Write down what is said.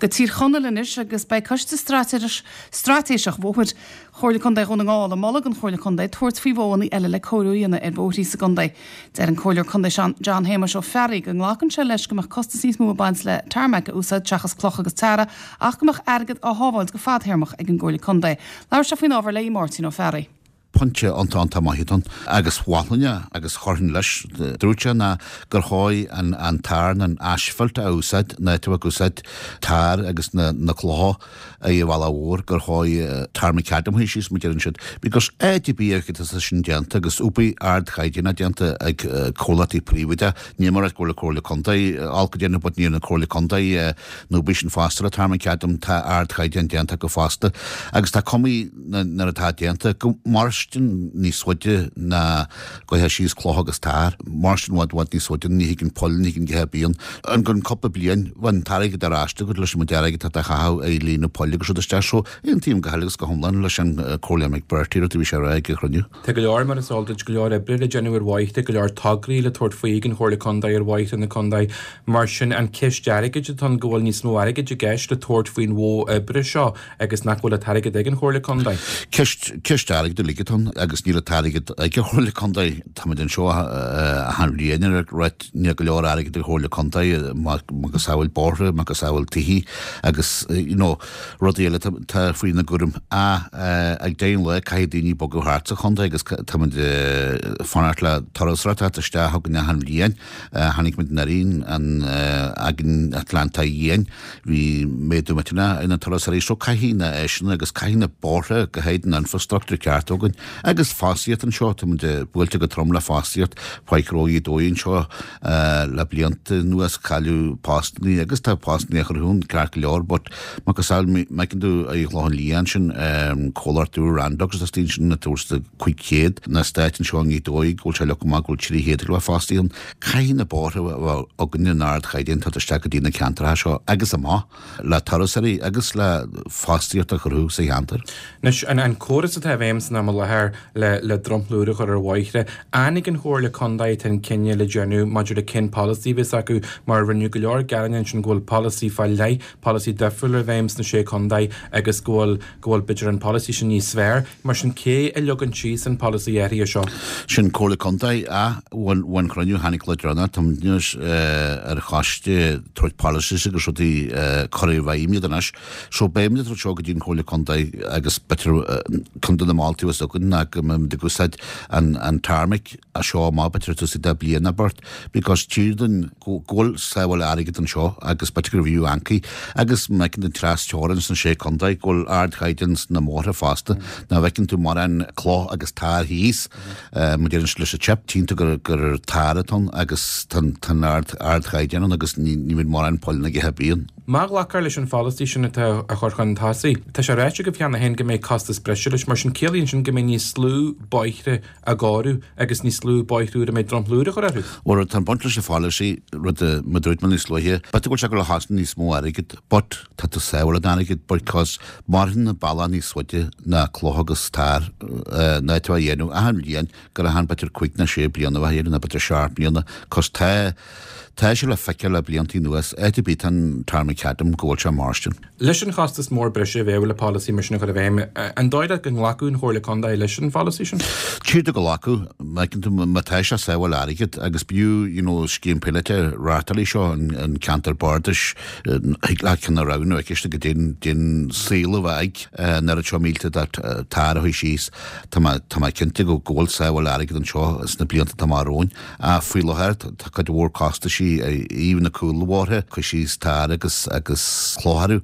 Go Tír Chonaill anois agus beidh Coiste Straitéiseach Bhóthair Chomhairle Contae Dhún na nGall ag moladh don Chomhairle Contae tabhairt faoi mhodhanna eile le cóiriú a dhéanamh ar bhóithrí sa gcontae. Deir an Comhairleoir Contae John Shéamuis Ó Fearraigh go nglacann sé leis go mbeadh costas níos mó ag baint le tarmac a úsáid seachas cloch agus tarra ach go mbeadh airgead á shábháilt go fadthéarmach ag an gComhairle Contae. Labhair sé faoin ábhar le Máirtín Ó Fearraigh. Pointe iontach iontach maith atá ann agus mholfainn é agus chuirfinn leis. Dúirt sé ná gur chóir an an tar an asphalt a úsáid ná tú ag úsáid tar agus na na clocha ar an bhealach mhór gur chóir tar macadam a síos mar deireann siad because áit ar bith a tá sin déanta agus obair ardchaighdeánach déanta ag comhlachtaí príobháideacha níl mé ag rá go bhfuil an Comhairle Contae olc ag déanamh but níl an Comhairle Contae an obair sin fosta le tar macadam tá ardchaighdeán déanta acu fosta agus tá cumaí nuair atá déanta, go mairstean níos faide ná go gcuirfeá síos cloch agus tar, mairstean i bhfad bhfad níos faide, ní thigeann poill, ní thigeann a dhath ar bith ann. I gcionn cúpla bliain, bheadh an t-airgead ar ais agat leis an méid airgid atá tú a chaitheamh ar líonadh poill agus rud isteach. So, aontaím go huile agus go hiomlán leis an Comhairleoir McBrearty, rud a bhí sé a rá ag an chruinniú. Tá go leor, mar is eol duit, go leor oibre le déanamh ar bhóithre, go leor tograí le tabhairt faoi ag an Chomhairle Contae ar bhóithre na contae. Mar sin, an ceist airgid atá ann, go bhfuil níos mó airgid i gceist le tabhairt faoin mhodh oibre seo agus nach bhfuil an t-airgead ag an Chomhairle Contae. Ceist, ceist airgid uilig atá ann agus níl an t-airgead ag an Chomhairle Contae. Táimid anseo achan bhliain ag ráit níl go leor airgid ag an Chomhairle Contae, macasamhail bóithre, macasamhail tithe agus you know rudaí eile atá faoina gcúram. Ach ag deireadh an lae caithfidh daoine bogadh thart sa chontae agus táimid ag fanacht le turasóireacht a theacht isteach chugainn achan bhliain. Chonaic muid anuraidh an againn Atlanta Dhéin. Bhí méadú millteanach ar na turasóirí so caithfidh na áiseanna agus caithfidh na bóithre go háirid an infrastructúr ceart againn agus fostaíocht anseo, tá muid buailte go trom le fostaíocht, faic ó Ghaoth Dobhair anseo le blianta anuas cailleadh postannaí agus tá postannaí á chruthú ceart go leor but macasamhail má fheiceann tú ar an Chlochán Liath ansin comhlacht úr Randox atá istigh ansin ag tabhairt 500 na stáit anseo i nGaoth Dobhair go bhfuil sé leagtha amach go bhfuil 300 ag bheith fostaithe ann. Caithfidh na bóithre a bheith againn in ardchaighdeán teacht isteach go dtí na ceantracha seo agus amach le turasóirí agus le fostaíocht a chruthú sa cheantar. Anois, an córas atá i bhfeidhm san am i láthair le le dromchla úr a chur ar bhóithre, an ag an Chomhairle Contae atá an cinneadh le déanamh maidir le cén polasaí a bheas acu mar rinneadh go leor gearáin ansin go bhfuil polasaí fá leith, polasaí difriúil i bhfeidhm sna sé contae agus go bhfuil go bhfuil b'fhéidir an polasaí sin níos fearr. Mar sin cé a leagann síos an polasaí áirithe seo? Sin Comhairle Contae a bhain cruinniú tháinig le deireanas tá muid anois ar choiste tabhairt policies agus rudaí cur i bhfeidhm iad anois. So beidh muid ag tabhairt seo go dtí an Chomhairle Contae agus b'fhéidir ceann de na moltaí a bheas againn ná go mbeidh muid ag úsáid an tarmac as seo amach b'fhéidir ag tosú de bliain nó beirt because tchíthear dúinn go bhfuil sábháil airgid anseo agus b'fhéidir gurbh fhiú ancaí agus má fheiceann tú an tras teorainn sna sé contae go bhfuil ardchaighdeán sna mbóithre fosta ná bhfeiceann tú mórán cloch agus tar thíos mar deireann siad leis an chip tchíonn tú gur gur tar atá ann agus tá an ard ardchaighdeán ann agus ní ní bhíonn mórán poill ag ithe bíonn. Má ghlacfar leis an pholasaí sin atá á chur chun tosaigh, tá sé ráite agaibh cheana féin go mbeidh costas breise leis, mar sin ciallaíonn sin go mbeidh níos lú bóithre á gcóiriú agus níos lú bóithre úra a mbeidh dromchla úr á chur orthu. Bhuel, tá an baint leis an pholasaí, rud a mar dúirt mé níos luaithe, b'fhéidir go bhfuil sé ag dul a chosnamh níos mó airgid, but tá tú sábháil an airgid because mairfidh an bealach níos faide ná cloch agus tar ná tú a dhéanamh achan bhliain gur achan b'fhéidir cuig nó sé bliana a bheith a dhéanamh nó b'fhéidir seacht mbliana cos tá tá sé le feiceáil le blianta anuas áit ar bith tá an tarmacadam go bhfuil sé mairstin. Leis an chostas mór breise a bheadh le polasaí mar sin a chur i bhfeidhm, an dóigh leat go nglacfadh an Chomhairle Contae leis an pholasaí sin? Tchíthear go nglacfadh, má fheiceann tú, má tá sé ag sábháil airgid agus b'fhiú you know scéim píolótach a reáchtáil seo an ceantar bardais, thig leat ceann a roghnú aici istigh go dtéann dtéann saol a bheith ag an oiread seo mílte de tar a chuaigh síos. Tá mé tá mé cinnte go go bhfuil sábháil airgid anseo sna blianta atá amach romhainn. Ach faoi láthair tá cuid mhór costaisí ar thaobh na cúlbhóithre, cur síos tar agus agus cloch orthu.